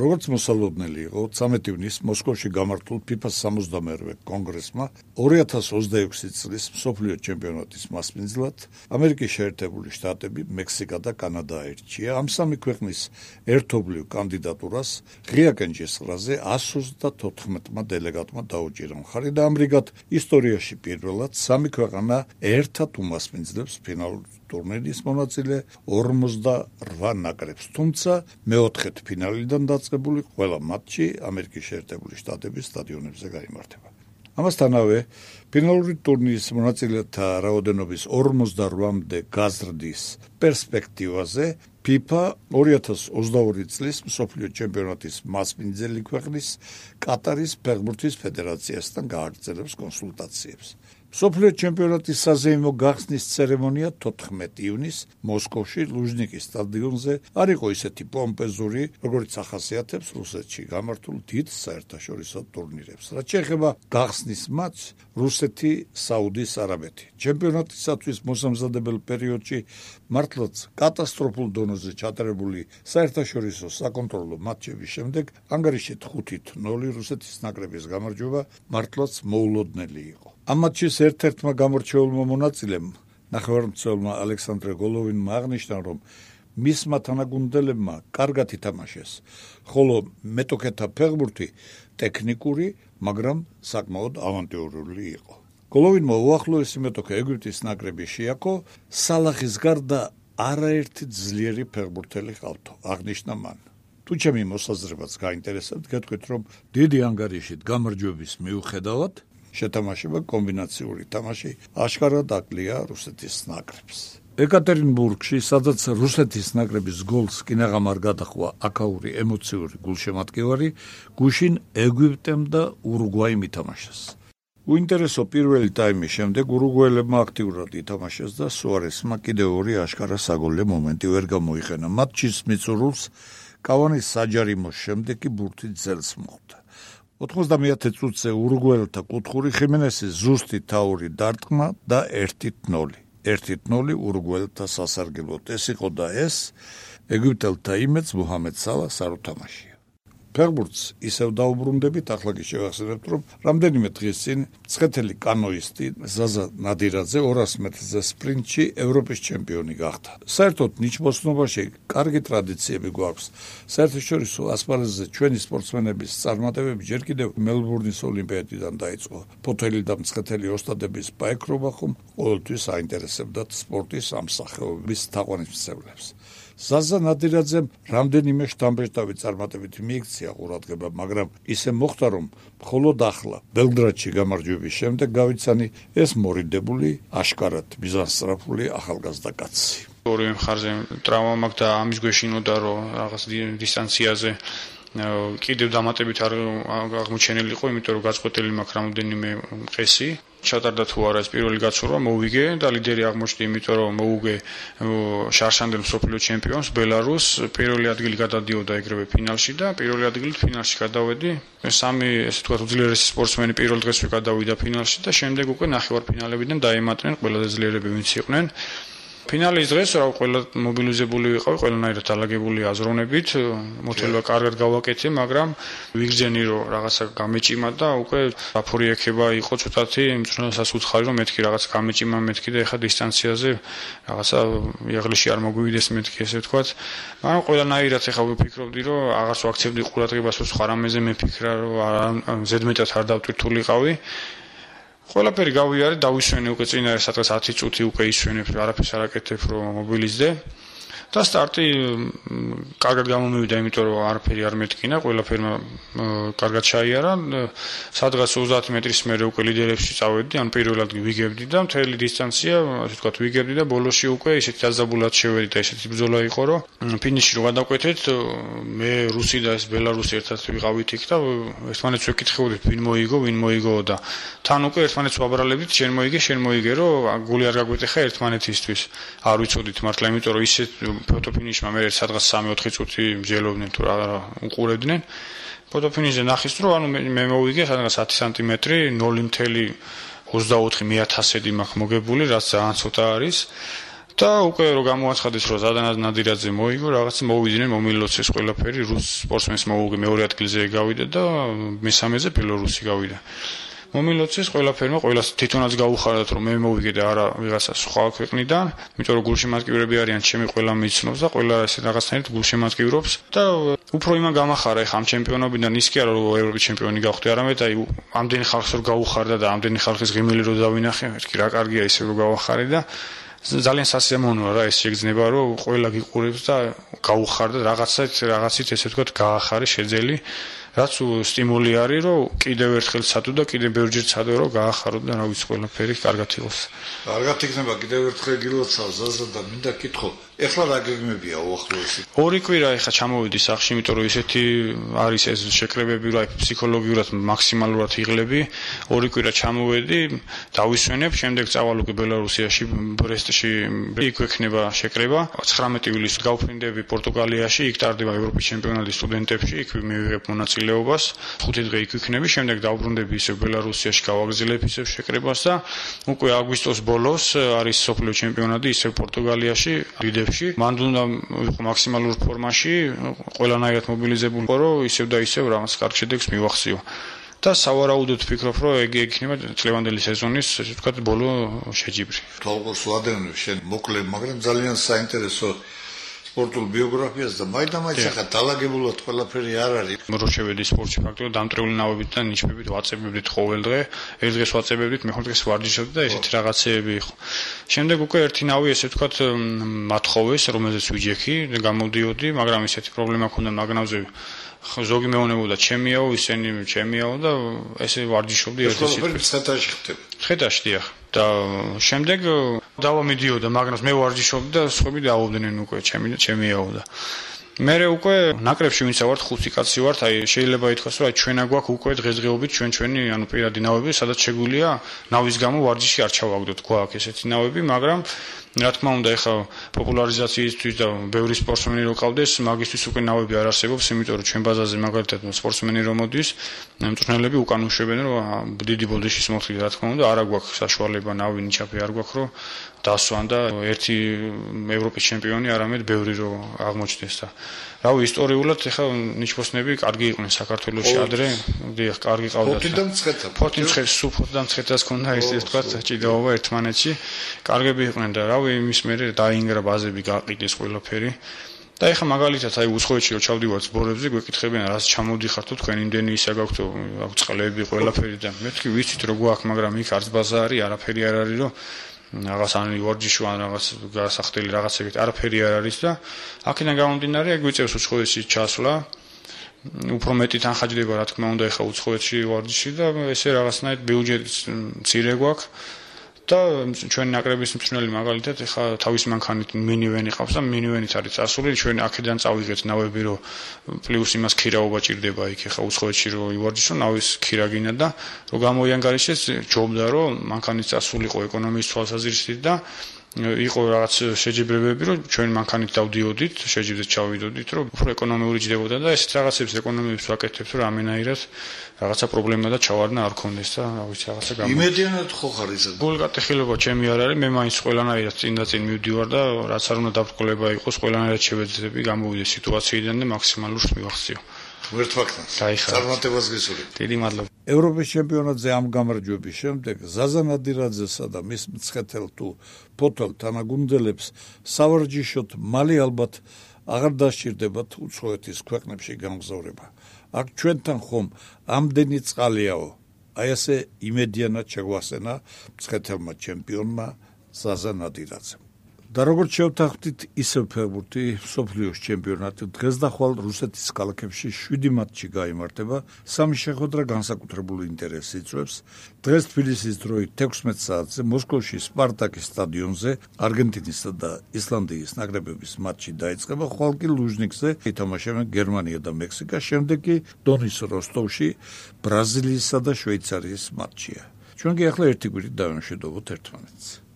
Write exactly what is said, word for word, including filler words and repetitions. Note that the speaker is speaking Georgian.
როგორც მოსალოდნელი იყო, ცამეტი ივნის მოსკოვში გამართულ ფიფას სამოცდამეორე კონგრესმა ორი ათას ოცდაექვსი წლის მსოფლიო ჩემპიონატის მასპინძლად ამერიკის შეერთებული შტატები, მექსიკა და კანადა აირჩია. ამ სამი ქვეყნის ერთობლივ კანდიდატურას ღია კენჭისყრაზე εκατს ოცდათოთხმეტმა დელეგატმა დაუჭირა მხარი და ამრიგად ისტორიაში პირველად სამი ქვეყანა ერთად უმასპინძლებს ფინალურ ტურნირის მონაწილე ორმოცდაოთხ ნაკრებს, თუმცა მეოთხედ ფინალიდან დაწყებული ყველა მატჩი ამერიკის შეერთებული შტატების სტადიონებზე გაიმართება. ამასთანავე, ფინალური ტურნირის მონაწილეთა რაოდენობის ორმოცდაოთხამდე გაზრდის პერსპექტივაზე ფიფა ორი ათას ოცდაორი წლის მსოფლიო ჩემპიონატის მასპინძელი ქვეყნის კატარის ფეხბურთის ფედერაციასთან გააგრძელებს კონსულტაციებს. მსოფლიო ჩემპიონატის საზეიმო გახსნის ცერემონია თოთხმეტი ივნის მოსკოვში ლუჟნიკის სტადიონზე არ იყო ისეთი პომპეზური, როგორც ახასიათებს რუსეთში გამართულ დიდ საერთაშორისო ტურნირებს. რაც შეეხება გახსნის მატჩს, რუსეთი, საუდის არაბეთი. ჩემპიონატისათვის მოსამზადებელ პერიოდში მართლაც კატასტროფულ დონეზე ჩატარებული საერთაშორისო საკონტროლო მატჩების შემდეგ ანგარიშით ხუთით ნული რუსეთის ნაკრების გამარჯვება მართლაც მოულოდნელი იყო. ამ მატჩის ერთ-ერთმა გამორჩეულმა მონაწილემ, ნახევარმცველმა ალექსანდრე გოლოვინმა აღნიშნა, რომ მისმა თანაგუნდელებმა კარგად ითამაშეს, ხოლო მეტოქეთა ფეხბურთი ტექნიკური, მაგრამ საკმაოდ ავანტიურული იყო. გოლოვინმა უახლოესი მეტოქე ეგვიპტის ნაკრები შეაქო, სალახის გარდა არაერთი ძლიერი ფეხბურთელი ყავთო, აღნიშნა მან. თუ ჩემი მოსაზრებაც გაინტერესებთ, გეტყვით, რომ დიდი ანგარიშით გამარჯვების მიუხედავად შეთამაშება კომბინაციური თამაში აშკარად აკლია რუსეთის ნაკრებს. ეკატერინბურგში, სადაც რუსეთის ნაკრების გოლს კინაღამარ გადახვა აქაური ემოციური გულშემატკივარი, გუშინ ეგვიპტემ და ურუგვაიმ ითამაშეს. უინტერესო პირველი ტაიმის შემდეგ ურუგვაელებმა აქტიურად ითამაშეს და სუარესმა კიდევ ორი აშკარა საგოლე მომენტი ვერ გამოიყენა. მატჩის მიწურულს კავანის საჯარიმოს შემდეგ კი ბურთით ძელს მოხვდა. ოთხმოცდამეათე წუთზე ურუგვაელთა კუთხური ხიმენესის ზუსტი თაური დარტყმა და ერთით ნული. ერთით ნული ურუგვაელთა სასარგებლოდ. ეს იყო და ეს ეგვიპტელთა იმედს მუჰამედ სალას არ უთამაშია. ფეხბურთს ისევ დაუბრუნდებით, ახლა კი შევახსენებთ, რომ რამდენიმე დღის წინ მცხეთელი კანოისტი ზაზა ნადირაძე ორას მეტრზე სპრინტში ევროპის ჩემპიონი გახდა. საერთოდ ნიჩბოსნობაში კარგი ტრადიციები გვაქვს. საერთაშორისო ასპარეზზე ჩვენი სპორტსმენების წარმატებები ჯერ კიდევ მელბურნის ოლიმპიადიდან დაიწყო. ფოთელი და მცხეთელი ოსტატების პაექრობა ხომ ყოველთვის აინტერესებდათ სპორტის ამ სახეობის თაყვანისმცემლებს. ზაზა ნადირაძემ რამდენიმე შთამბეჭდავი წარმატებით მიიქცია ყურადღება, მაგრამ ისე მოხდა, რომ მხოლოდ ახლა ბელგრადში გამარჯვების შემდეგ გავიცანი ეს მორიდებული, აშკარად მიზანსწრაფული ახალგაზრდა კაცი. ორივე მხარზე ტრავმა მაქვს და ამის გვეშინოდა, რომ რაღაც დისტანციაზე კიდევ დამატებით არ აღმოჩენილი იყო, იმიტომ რომ გაწყვეტილი მაქვს რამოდენიმე მყესი. ჩატარდა თუ არა ეს პირველი გაცურვა, მოვიგე და ლიდერი აღმოჩნდი, იმიტომ რომ მოვუგე შარშანდელ მსოფლიო ჩემპიონს ბელარუსს. პირველი ადგილი გადადიოდა ეგრევე ფინალში და პირველი ადგილით ფინალში გადავედი. სამი, ესე ვთქვათ, უძლიერესი სპორტსმენი პირველ დღესვე გადავიდა ფინალში და შემდეგ უკვე ნახევარფინალებიდან დაემატნენ ყველაზე ძლიერები ვინც იყვნენ. ფინალის დღეს რა ყველა მობილიზებული ვიყავი, ყველანაირად ალაგებული აზროვნებით, მოცილება კარგად გავაკეთე, მაგრამ ვიგრძენი რომ რაღაცა გამეჭიმა და უკვე აფური ეკება იყო ცოტათი, იმწუნასაც უცხარი რომ მეთქი რაღაც გამეჭიმა მეთქი და ეხა დისტანციაზე რაღაცა იაღლიში არ მოგვივიდეს მეთქი, ესე ვთქვათ. მაგრამ ყველანაირად ეხა ვიფიქრობდი რომ აღარც ვაქცევდი ყურადღებას რომ სხვა რამეზე მეფიქრა რომ ზედმეტად არ დავტვირთულიყავი. ყველაფერი გავიარე, დავისვენე უკვე წინა სადღაც ათი წუთი უკვე ისვენებ, არაფერს არ აკეთებ რომ მობილიზდე. და სტარტი კარგად გამომივიდა, იმიტომ რომ არაფერი არ მეთქინა, ყველაფერმა კარგად ჩაიარა. სადღაც ოცდაათი მეტრის მერე უკვე ლიდერებში წავედი, ან პირველად ვიგებდი და მთელი დისტანცია, ასე ვთქვათ, ვიგებდი და ბოლოში უკვე ისეთი დაძაბულად შევედი და ისეთი ბრძოლა იყო, რომ ფინიში რო გადავკვეთეთ, მე რუსი და ეს ბელარუსი ერთად ვიყავით იქ და ერთმანეთს ვეკითხებოდით, ვინ მოიგო, ვინ მოიგო და თან უკვე ერთმანეთს ვაბრალებდით, შენ მოიგე, შენ მოიგე, რომ გული არ გაგვეტეხა ერთმანეთისთვის. არ ვიცოდით მართლა, იმიტომ რომ ისეთ ფოტოფინიშმა მე სადღაც სამი ოთხი წუთი მსჯელობდნენ თუ რა უყურებდნენ. ფოტოფინიშზე ნახის რომ ანუ მე მოვიგე სადღაც ათი სანტიმეტრი, ნული ოცდაოთხი მეათასედი მაქვს მოგებული, რაც ძალიან ცოტა არის. და უკვე რო გამოაცხადეს რომ ზადანად ნადირაძე მოიგო რაღაც მოვიდნენ მომილოცეს ყველაფერი რუს სპორტსმენს მოუგე მეორე ადგილზე გავიდა და მესამეზე ბელორუსი გავიდა მომილოცეს ყველაფერმა ყველას თვითონაც გაუხარდათ რომ მე მოვიგე და არა ვიღაცა სხვა ქვეყნიდან იმიტომ რომ გულშემატკივრები არიან ჩემი ყველა მიცნობს და ყველა ეს რაღაცნაირად გულშემატკივრობს და უფრო იმან გამახარა ეხა ამ ჩემპიონობიდან ის კი არა რომ ევროპის ჩემპიონი გავხდი არამედ აი ამდენი ხალხს რო გაუხარდა და ამდენი ხალხის ღიმილი რო დავინახე მეთქი რა კარგია ისე რო გავახარე და ძალიან სასიამოვნოა რა ეს შეგრძნება რომ ყველა გიყურებს და გაუხარდა რაღაცით რაღაცით ესე ვთქვათ გაახარე შეძელი რაც სტიმული არის რომ კიდევ ერთხელ ცადო და კიდევ ბევრჯერ ცადო რომ გაახარო და რა ვიცი ყველაფერი კარგად იყოს. კარგად იქნება კიდევ ერთხელ გილოცავ ზაზა და მინდა კითხო ეხლა რა გეგმებია უახლოესი? ორი კვირა ეხლა ჩამოვიდი სახში იმიტომ რომ ისეთი არის ეს შეკრებები რომ ფსიქოლოგიურად მაქსიმალურად იღლები ორი კვირა ჩამოვედი დავისვენებ შემდეგ წავალ უკვე ბელარუსიაში ბრესტში იქ ექნება შეკრება ცხრამეტი ივლისს გავფრინდები პორტუგალიაში იქ ტარდება ევროპის ჩემპიონატი სტუდენტებში იქ მივიღებ მონაწილეობას ხუთი დღე იქ ვიქნები შემდეგ დავბრუნდები ისევ ბელარუსიაში გავაგზავნებ ისევ შეკრებას და უკვე აგვისტოს ბოლოს არის სოფლიო ჩემპიონატი ისევ პორტუგალიაში ლიდებში მან უნდა ვიყო მაქსიმალურ ფორმაში ყველანაირად მობილიზებული ხო რომ ისევ და ისევ რაღაც კარგ შედეგს მივახციო და სავარაუდოდ ვფიქრობ რომ ეგ იქნება წლევანდელი სეზონის ესე ვთქვათ ბოლო შეჯიბრი. თვალყურს ვადევნებ შენ მოკლე მაგრამ ძალიან საინტერესო სპორტულ ბიოგრაფიას და მაინდა-მაინც ახლა დაალაგებულად ყველაფერი არ არის. რო შევედი სპორტში ფაქტობრივად დამტრეული ნავებით და ნიშნებით ვაწებებდით ყოველ დღე, ერთ დღეს ვაწებებდით, მეხუთე დღეს ვარჯიშობდი და ესეთი რაღაცეები იყო. შემდეგ უკვე ერთი ნავი ესე ვთქვათ მათხოვეს, რომელზეც ვიჯექი, გამოდიოდი, მაგრამ ესეთი პრობლემა ჰქონდა მაგნავზე ზოგი მეუბნებოდა ჩემიაო, ისინი ჩემიაო და ესე ვარჯიშობდი ერთი სიტყვით. ცხეთაში ხდება. ცხეთაში დიახ. და შემდეგ დავა მიდიოდა მაგნავს მე ვარჯიშობდი და სხვები დააობდნენ უკვე ჩემი ჩემიაო და მე უკვე ნაკრებში ვინც ვართ ხუთი კაცი ვართ აი შეიძლება ითქვას რომ აი ჩვენა გვაქვს უკვე დღესდღეობით ჩვენ ჩვენი ანუ პირადი ნავები სადაც შეგვიძლია ნავის გამო ვარჯიში არ ჩავაგდოთ გვაქვს ესეთი ნავები მაგრამ რა თქმა უნდა ეხა პოპულარიზაციისთვის და ბევრი სპორტსმენი რო ყავდეს მაგისთვის უკვე ნავები არ არსებობს იმიტომ რომ ჩვენ ბაზაზე მაგალითად სპორტსმენი რომ მოდის მწვრთნელები უკან უშვებენ რომ დიდი ბოდიშის მოხდით რა თქმა უნდა არა გვაქვს საშუალება ნავი ნიჩაბი არ გვაქვს რომ დასვან და ერთი ევროპის ჩემპიონი არამედ ბევრი რო აღმოჩნდეს და რავი ისტორიულად ეხა ნიჩბოსნები კარგი იყვნენ საქართველოში ადრე დიახ კარგი ყავდათ ფოთიდან მცხეთა ფოთიდან სუფოთიდან მცხეთას ქონდა ესე ვთქვათ ჭიდაობა ერთმანეთში კარგები იყვნენ და რავი იმის მერე დაინგრა ბაზები გაყიდეს ყველაფერი და ეხა მაგალითად აი უცხოეთში რო ჩავდივართ სპორტებზე გვეკითხებიან რას ჩამოდიხართო თქვენ იმდენი ისა გაქვთ აქვს წყლები ყველაფერი და მეთქი ვიცით რო გვაქვს მაგრამ იქ არც ბაზა არის არაფერი არ არის რომ რაღაც ან ვარჯიში ან რაღაც გასახდელი რაღაცებით არაფერი არ არის და აქედან გამომდინარე ეგ ვიწევს უცხოეთში ჩასვლა უფრო მეტი თანხაჯდება რა თქმა უნდა ეხა უცხოეთში ვარჯიში და ესე რაღაცნაირად ბიუჯეტი მცირე გვაქვს და ჩვენი ნაკრების მწვრთნელი მაგალითად ეხა თავის მანქანით მინივენი ყავს და მინივენით არის წასული ჩვენ აქედან წავიღეთ ნავები რომ პლუს იმას ქირაობა ჭირდება იქ ეხა უცხოეთში რომ ივარჯიშო ნავის ქირა გინდა და რომ გამოიანგარიშეს ჯობდა რომ მანქანით წასულიყო ეკონომიის თვალსაზრისით და იყო რაღაც შეჯიბრებები რომ ჩვენ მანქანით დავდიოდით შეჯიბრეთ ჩავიდოდით რომ უფრო ეკონომიური ჯდებოდა და ესეთ რაღაცებს ეკონომიებს ვაკეთებთ რომ ამენაირად რაღაცა პრობლემა და ჩავარდნა არ ქონდეს და რა ვიცი რაღაცა გამო იმედიანად ხო ხარ ისა გულკატეხილება ჩემი არ არის მე მაინც ყველანაირად წინ და წინ მივდივარ და რაც არ უნდა დაბრკოლება იყოს ყველანაირად შევეძები გამოვიდე სიტუაციიდან და მაქსიმალურს მივახციო ერთ ფაქტს წარმატებას გისურვებ დიდი მადლობა ევროპის ჩემპიონატზე ამ გამარჯვების შემდეგ ზაზა ნადირაძესა და მის მცხეთელ თუ ფოთოლ თანაგუნდელებს სავარჯიშოდ მალე ალბათ აღარ დასჭირდებათ უცხოეთის ქვეყნებში გამგზავრება აქ ჩვენთან ხომ ამდენი წყალიაო აი ასე იმედიანად შეგვასენა მცხეთელმა ჩემპიონმა ზაზა ნადირაძემ და როგორც შევთანხმდით ისევ ფეხბურთი მსოფლიოს ჩემპიონატი დღეს და ხვალ რუსეთის ქალაქებში შვიდი მატჩი გაიმართება სამი შეხვედრა განსაკუთრებულ ინტერესს იწვევს დღეს თბილისის დროით თექვსმეტ საათზე მოსკოვში სპარტაკის სტადიონზე არგენტინისა და ისლანდიის ნაკრებების მატჩი დაიწყება ხვალ კი ლუჟნიკზე ითამაშებენ გერმანია და მექსიკა შემდეგ კი დონის როსტოვში ბრაზილიისა და შვეიცარიის მატჩია ჩვენ კი ახლა ერთი კვირით დავიმშვიდობოთ ერთმანეთს